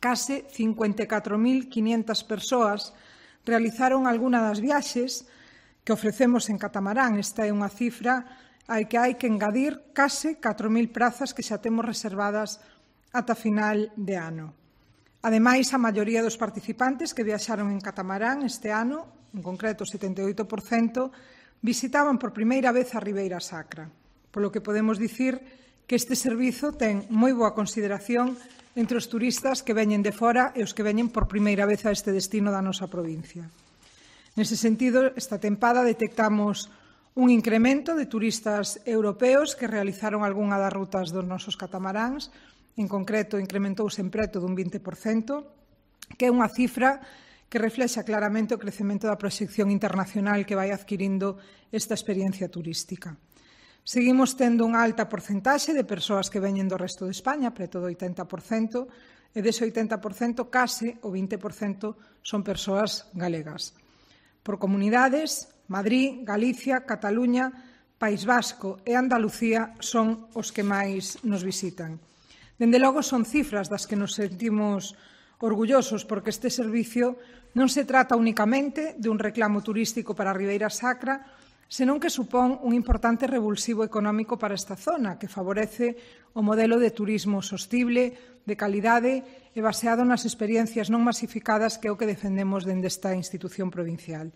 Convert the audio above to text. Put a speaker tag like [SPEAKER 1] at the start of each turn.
[SPEAKER 1] Case 54.500 persoas realizaron algunha das viaxes que ofrecemos en catamarán. Esta é unha cifra a que hai que engadir case 4.000 prazas que xa temos reservadas ata final de ano. Ademais, a maioría dos participantes que viaxaron en catamarán este ano, en concreto o 78%, visitaban por primeira vez a Ribeira Sacra, polo que podemos dicir que este servizo ten moi boa consideración entre os turistas que veñen de fora e os que veñen por primeira vez a este destino da nosa provincia. Nese sentido, esta tempada detectamos un incremento de turistas europeos que realizaron algunha das rutas dos nosos catamaráns. En concreto, incrementouse en preto dun 20%, que é unha cifra que reflexa claramente o crecemento da proxección internacional que vai adquirindo esta experiencia turística. Seguimos tendo unha alta porcentaxe de persoas que veñen do resto de España, preto do 80%, e dese 80%, case o 20% son persoas galegas. Por comunidades, Madrid, Galicia, Cataluña, País Vasco e Andalucía son os que máis nos visitan. Dende logo, son cifras das que nos sentimos orgullosos porque este servicio non se trata únicamente de un reclamo turístico para a Ribeira Sacra, senón que supón un importante revulsivo económico para esta zona, que favorece o modelo de turismo sostible, de calidade e baseado nas experiencias non masificadas que é o que defendemos dende esta institución provincial.